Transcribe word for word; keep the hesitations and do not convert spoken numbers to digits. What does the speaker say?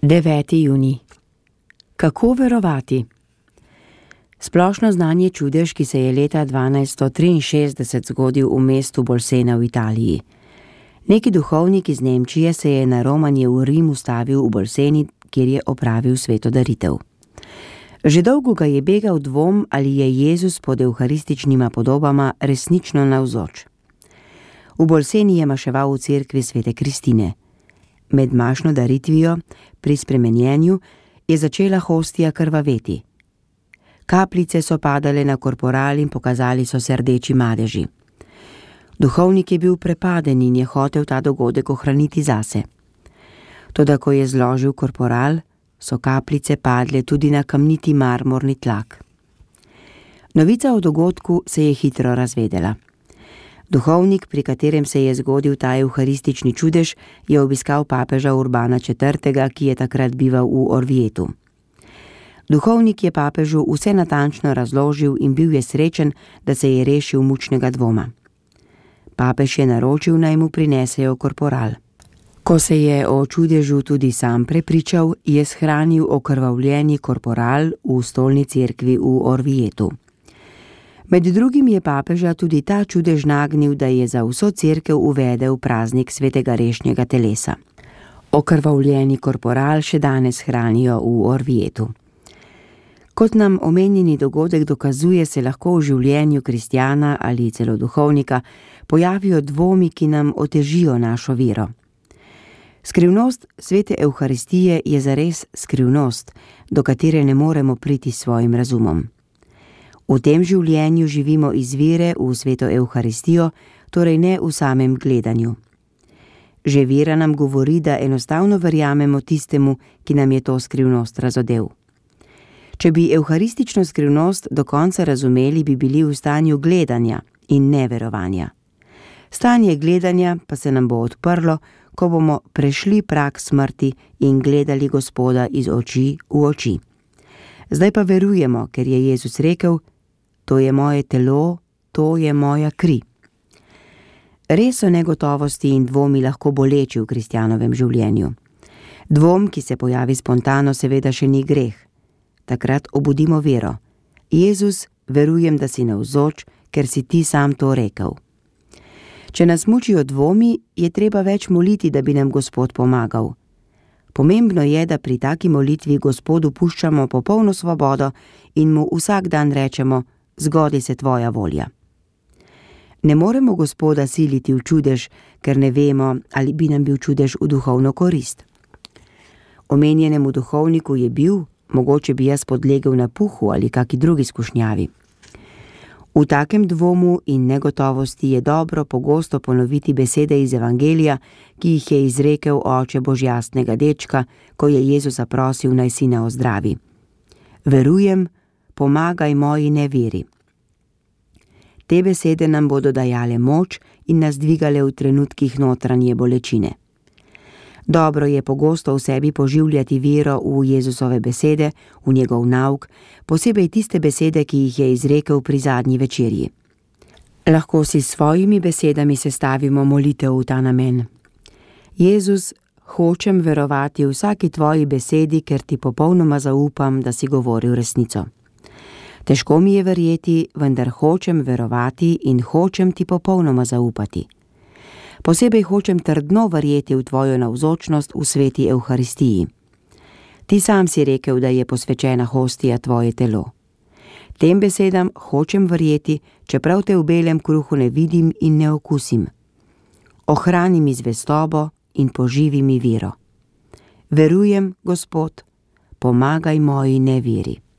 deveti junij. Kako verovati? Splošno znanje čudež, ki se je leta dvanajststo triinšestdeset zgodil v mestu Bolsena v Italiji. Neki duhovnik iz Nemčije se je na romanje v Rim ustavil v Bolseni, kjer je opravil svetodaritev. Že dolgo ga je begal dvom, ali je Jezus pod evharističnima podobama resnično navzoč. V Bolseni je maševal v cerkvi svete Kristine. Med mašno daritvijo, pri spremenjenju, je začela hostija krvaveti. Kapljice so padale na korporal in pokazali so se rdeči madeži. Duhovnik je bil prepaden in je hotel ta dogodek ohraniti zase. Toda ko je zložil korporal, so kapljice padle tudi na kamniti marmorni tlak. Novica o dogodku se je hitro razvedela. Duhovnik, pri katerem se je zgodil ta evharistični čudež, je obiskal papeža Urbana četrtega, ki je takrat bival v Orvietu. Duhovnik je papežu vse natančno razložil in bil je srečen, da se je rešil mučnega dvoma. Papež je naročil, naj mu prinesejo korporal. Ko se je o čudežu tudi sam prepričal, je shranil okrvavljeni korporal v stolni cerkvi v Orvietu. Med drugim je papeža tudi ta čudež nagnil, da je za vso cerkev uvedel praznik svetega rešnjega telesa. Okrvavljeni korporal še danes hranijo v Orvietu. Kot nam omenjeni dogodek dokazuje, se lahko v življenju kristjana ali celo duhovnika pojavijo dvomi, ki nam otežijo našo vero. Skrivnost svete evharistije je zares skrivnost, do katere ne moremo priti s svojim razumom. V tem življenju živimo iz vere v sveto evharistijo, torej ne v samem gledanju. Že vera nam govori, da enostavno verjamemo tistemu, ki nam je to skrivnost razodel. Če bi evharistično skrivnost do konca razumeli, bi bili v stanju gledanja in ne verovanja. Stanje gledanja pa se nam bo odprlo, ko bomo prešli prag smrti in gledali Gospoda iz oči v oči. Zdaj pa verujemo, ker je Jezus rekel: to je moje telo, to je moja kri. Res so negotovosti in dvomi lahko boleči v kristjanovem življenju. Dvom, ki se pojavi spontano, seveda še ni greh. Takrat obudimo vero. Jezus, verujem, da si navzoč, ker si ti sam to rekel. Če nas mučijo dvomi, je treba več moliti, da bi nam Gospod pomagal. Pomembno je, da pri taki molitvi Gospodu puščamo popolno svobodo in mu vsak dan rečemo: zgodi se tvoja volja. Ne moremo Gospoda siliti v čudež, ker ne vemo, ali bi nam bil čudež v duhovno korist. Omenjenemu duhovniku je bil, mogoče bi jaz podlegel napuhu ali kaki drugi skušnjavi. V takem dvomu in negotovosti je dobro pogosto ponoviti besede iz Evangelija, ki jih je izrekel oče božjastnega dečka, ko je Jezusa prosil, naj sina ozdravi. Verujem, pomagaj moji neveri. Te besede nam bodo dajale moč in nas dvigale v trenutkih notranje bolečine. Dobro je pogosto v sebi poživljati vero v Jezusove besede, v njegov nauk, posebej tiste besede, ki jih je izrekel pri zadnji večerji. Lahko si s svojimi besedami sestavimo molitev v ta namen. Jezus, hočem verovati vsaki tvoji besedi, ker ti popolnoma zaupam, da si govoril resnico. Težko mi je verjeti, vendar hočem verovati in hočem ti popolnoma zaupati. Posebej hočem trdno verjeti v tvojo navzočnost v sveti evharistiji. Ti sam si rekel, da je posvečena hostija tvoje telo. Tem besedam hočem verjeti, čeprav te v belem kruhu ne vidim in ne okusim. Ohrani mi zvestobo in poživi mi vero. Verujem, Gospod, pomagaj moji neveri.